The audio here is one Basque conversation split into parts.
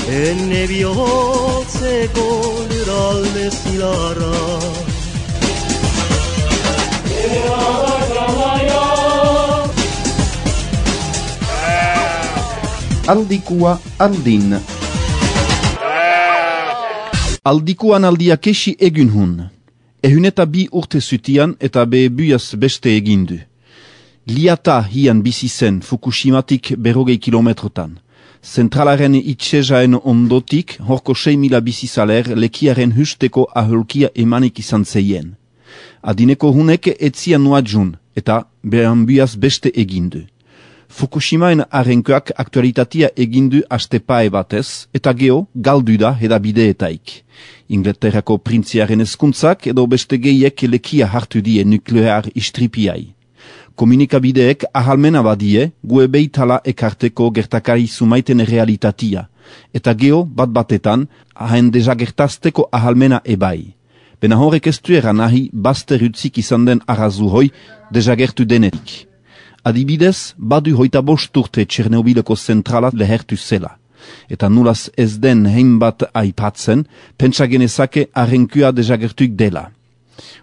Enne bihotzeko lurralde zilarra Aldikua andin Aldikuan aldia kesi egun hun. Ehun eta bi urte zutian eta be buiaz beste egindu. Liata hian bizi zen Fukushimatik 40 kilometrotan. Zentralaren itxezaen ondotik horko 6.000 bizizaler lekiaren husteko aholkia emanik izan zeien. Adineko hunek etzian nuadjun eta behan buiaz beste egindu. Fukushimaen arrenkoak aktualitatea egindu astepae batez, eta geho galdu da hedabideetaik. Inglaterrako printziaren ezkuntzak edo beste gehiek lekia hartu die nuklear istripiai. Komunikabideek ahalmena badie, gue beitala ekarteko gertakari zumaiten realitatia, eta geho bat-batetan haen dezagertazteko ahalmena ebai. Bena horrek ez duera nahi bazterutzik izan den arrazuhoi dezagertu denetik. Adibidez, badu 25 urte Txernobileko zentrala lehertu zela. Eta nulaz ez den hainbat aipatzen, pentsa genezake arrenkua dezagertuik dela.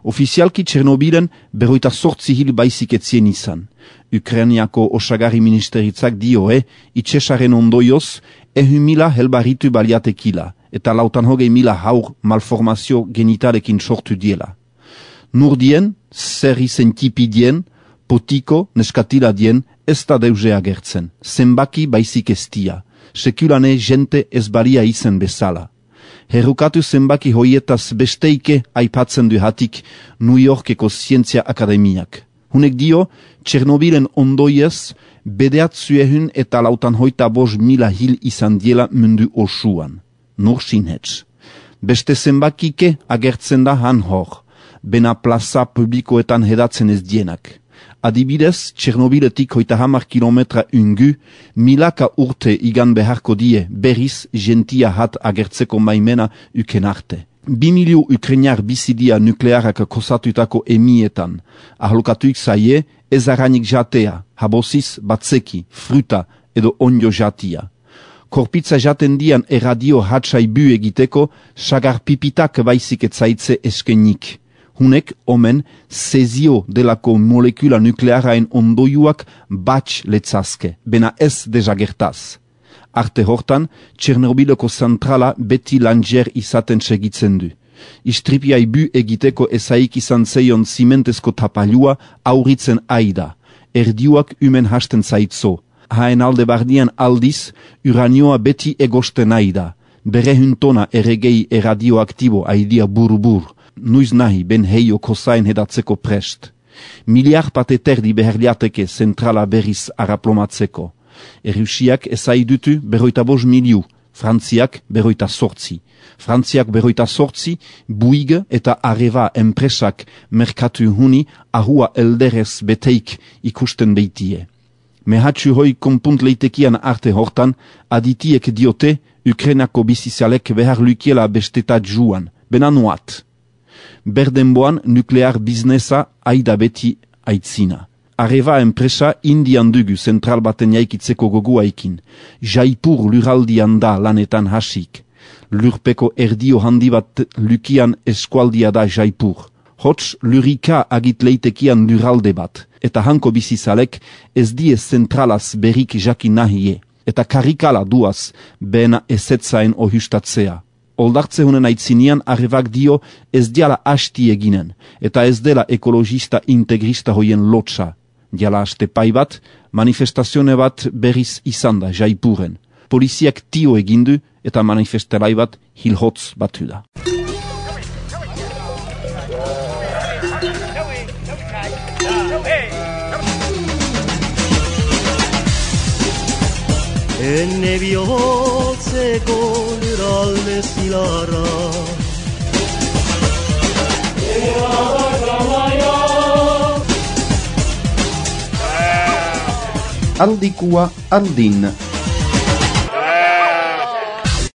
Ofizialki Txernobilen 48 hil baizik etzien izan. Ukrainiako osagari ministeritzak dioe, itxesaren ondoioz, 100.000 helbaritu baliatekila, eta 120.000 haur malformazio genitalekin sortu diela. Nurdien, zer izen tipidien, potiko, neskatila dien, ez da deuze agertzen. Zenbaki baizik estia. Sekulane jente ez balia izen bezala. Herrukatu zenbaki hoietaz besteike aipatzen du hatik New Yorkeko Zientzia Akademiak. Hunek dio, Txernobilen ondoiez, bedeatzuehun eta 125.000 hil izan diela mundu osuan. Nur sinhetz. Beste zenbakike agertzen da han hor. Bena plaza publikoetan hedatzen ez dienak. Adibidez, Txernobiletik 30 kilometra ungu, milaka urte igan beharko die berriz gentia hat agertzeko maimena uken arte. 2 milio Ukrainar bizidia nuklearak kosatutako emietan. Aholkatuik zaie, ez aranik jatea, habosiz batzeki, fruta edo onjo jatia. Korpitza jaten dian erradio hatsai bu egiteko, sagar pipitak baizik etzaitze eskenik. Hunek, omen, zezio delako molekula nuklearaen ondoiuak batx letzazke, bena ez dezagertaz. Arte hortan, Txernobileko zentrala beti langer izaten segitzen du. Istripiai bu egiteko ezaik izan zeion zimentezko tapalua auritzen aida. Erdiuak umen hasten zaitzo. Haen alde bardian aldiz, uranioa beti egosten aida. Berehun tona erregei erradioaktibo aidia burubur. Nuiz nahi ben heio kosain hedatzeko prest. Miliar pateterdi beherliateke zentrala berriz araplomatzeko. Errusiak ezaidutu 45 miliu, Frantziak 48. Frantziak 48, Buig eta Areva enpresak merkatu huni ahua elderez beteik ikusten beitie. Mehatxu hoi konpunt leitekian arte hortan, aditiek diote Ukrainako bizizalek behar lukiela bestetat juan, benanuat. Berdenboan nuklear biznesa aida beti aitzina. Areva enpresa indian dugu zentral baten jaikitzeko goguaikin. Jaipur luraldian da lanetan hasik. Lurpeko erdio handi bat lukian eskualdia da Jaipur. Hots lurika agit leitekian luralde bat. Eta hanko bizizalek ez die zentralaz berik jakin nahie. Eta karikala duaz bena ezetzaen ohustatzea. Oldartze honen aitzinian Arevak dio ez diala hasti eginen, eta ez dela ekologista integrista hoien lotsa. Diala haste pai bat, manifestazione bat berriz izan da Jaipuren. Poliziak tio egindu eta manifestelai bat hilhotz batu da. Enne bihotzeko lurralde zilarra Aldikua andin